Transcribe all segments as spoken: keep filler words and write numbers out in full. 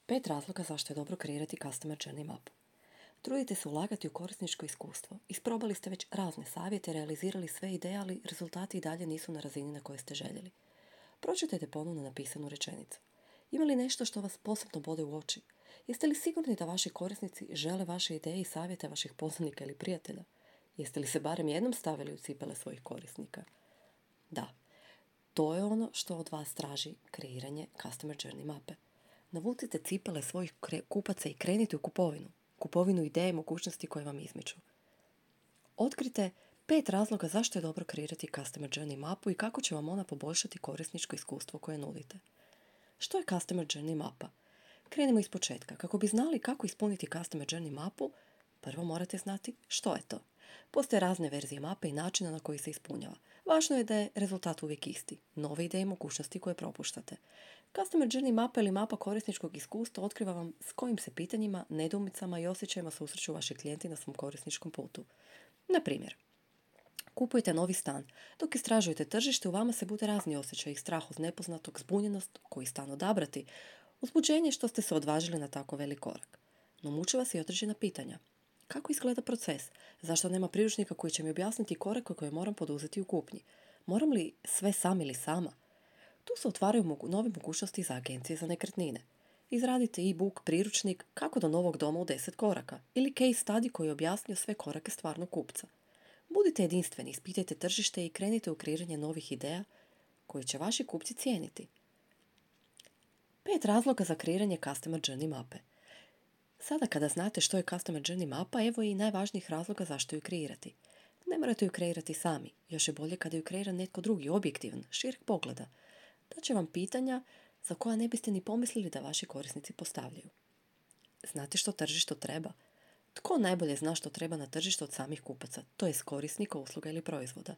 Pet razloga zašto je dobro kreirati Customer Journey mapu. Trudite se ulagati u korisničko iskustvo. Isprobali ste već razne savjete, realizirali sve ideje, ali rezultati i dalje nisu na razini na kojoj ste željeli. Pročitajte ponovno napisanu rečenicu. Ima li nešto što vas posebno bode u oči? Jeste li sigurni da vaši korisnici žele vaše ideje i savjete vaših poznanika ili prijatelja? Jeste li se barem jednom stavili u cipele svojih korisnika? Da, to je ono što od vas traži kreiranje Customer Journey mape. Navucite cipele svojih kre- kupaca i krenite u kupovinu. Kupovinu ideje i mogućnosti koje vam izmiču. Otkrite pet razloga zašto je dobro kreirati Customer Journey mapu i kako će vam ona poboljšati korisničko iskustvo koje nudite. Što je Customer Journey mapa? Krenimo iz početka. Kako bi znali kako ispuniti Customer Journey mapu, prvo morate znati što je to. Postoje razne verzije mape i načina na koji se ispunjava. Važno je da je rezultat uvijek isti. Nove ideje i mogućnosti koje propuštate. Customer Journey mapa ili mapa korisničkog iskustva otkriva vam s kojim se pitanjima, nedoumicama i osjećajima susreću vaši klijenti na svom korisničkom putu. Na primjer, kupujete novi stan. Dok istražujete tržište, u vama se bude razni osjećaj, strah od nepoznatog, zbunjenost, koji stan odabrati, uzbuđenje što ste se odvažili na tako velik korak. No muče vas i određena pitanja. Kako izgleda proces? Zašto nema priručnika koji će mi objasniti korake koje moram poduzeti u kupnji? Moram li sve sam ili sama? Tu se otvaraju mogu- nove mogućnosti za agencije za nekretnine. Izradite e-book, priručnik kako do novog doma u deset koraka ili case study koji je objasnio sve korake stvarnog kupca. Budite jedinstveni, ispitajte tržište i krenite u kreiranje novih ideja koje će vaši kupci cijeniti. Pet razloga za kreiranje Customer Journey mape. Sada kada znate što je Customer Journey mapa, evo i najvažnijih razloga zašto ju kreirati. Ne morate ju kreirati sami, još je bolje kada ju kreira netko drugi, objektivan, šireg pogleda. Daće vam pitanja za koja ne biste ni pomislili da vaši korisnici postavljaju. Znate što tržištu treba? Tko najbolje zna što treba na tržištu od samih kupaca, to je korisnika usluga ili proizvoda?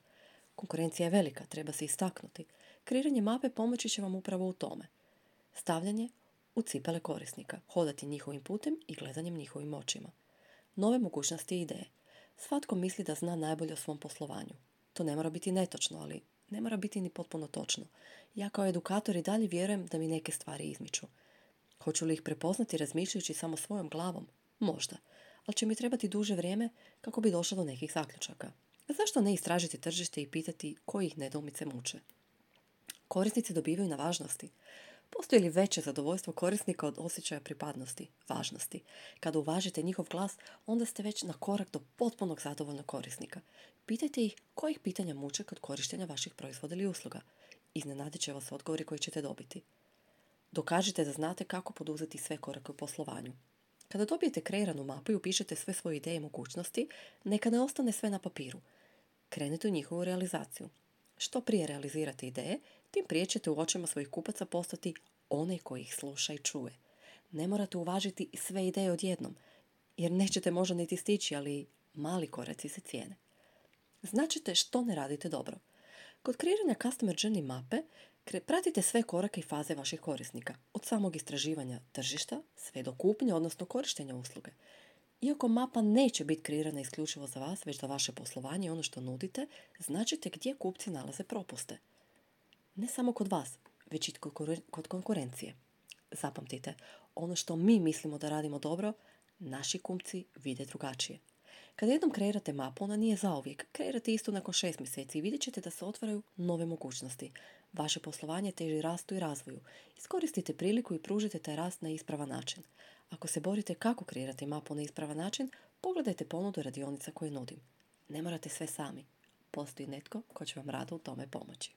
Konkurencija je velika, treba se istaknuti. Kreiranje mape pomoći će vam upravo u tome. Stavljanje u cipele korisnika, hodati njihovim putem i gledanjem njihovim očima. Nove mogućnosti i ideje. Svatko misli da zna najbolje o svom poslovanju. To ne mora biti netočno, ali ne mora biti ni potpuno točno. Ja kao edukator i dalje vjerujem da mi neke stvari izmiču. Hoću li ih prepoznati razmišljajući samo svojom glavom? Možda. Ali će mi trebati duže vrijeme kako bi došla do nekih zaključaka. Zašto ne istražiti tržište i pitati koji ih nedoumice muče? Korisnici dobivaju na važnosti. Postoji li veće zadovoljstvo korisnika od osjećaja pripadnosti, važnosti? Kada uvažite njihov glas, onda ste već na korak do potpunog zadovoljnog korisnika. Pitajte ih kojih pitanja muče kod korištenja vaših proizvoda ili usluga. Iznenadit će vas odgovori koji ćete dobiti. Dokažite da znate kako poduzeti sve korake u poslovanju. Kada dobijete kreiranu mapu i upišete sve svoje ideje i mogućnosti, neka ne ostane sve na papiru. Krenite u njihovu realizaciju. Što prije realizirate ideje, tim prije ćete u očima svojih kupaca postati onaj koji ih sluša i čuje. Ne morate uvažiti sve ideje odjednom, jer nećete možda niti stići, ali mali koraci se cijene. Značite što ne radite dobro. Kod kreiranja Customer Journey mape pratite sve korake i faze vaših korisnika, od samog istraživanja tržišta sve do kupnje, odnosno korištenja usluge. Iako mapa neće biti kreirana isključivo za vas, već za vaše poslovanje i ono što nudite, značite gdje kupci nalaze propuste. Ne samo kod vas, već i kod konkurencije. Zapamtite, ono što mi mislimo da radimo dobro, naši kupci vide drugačije. Kada jednom kreirate mapu, ona nije zauvijek. Kreirate istu nakon šest mjeseci i vidjet ćete da se otvaraju nove mogućnosti. Vaše poslovanje teži rastu i razvoju. Iskoristite priliku i pružite taj rast na ispravan način. Ako se borite kako kreirati mapu na ispravan način, pogledajte ponudu radionica koje nudim. Ne morate sve sami. Postoji netko ko će vam rado u tome pomoći.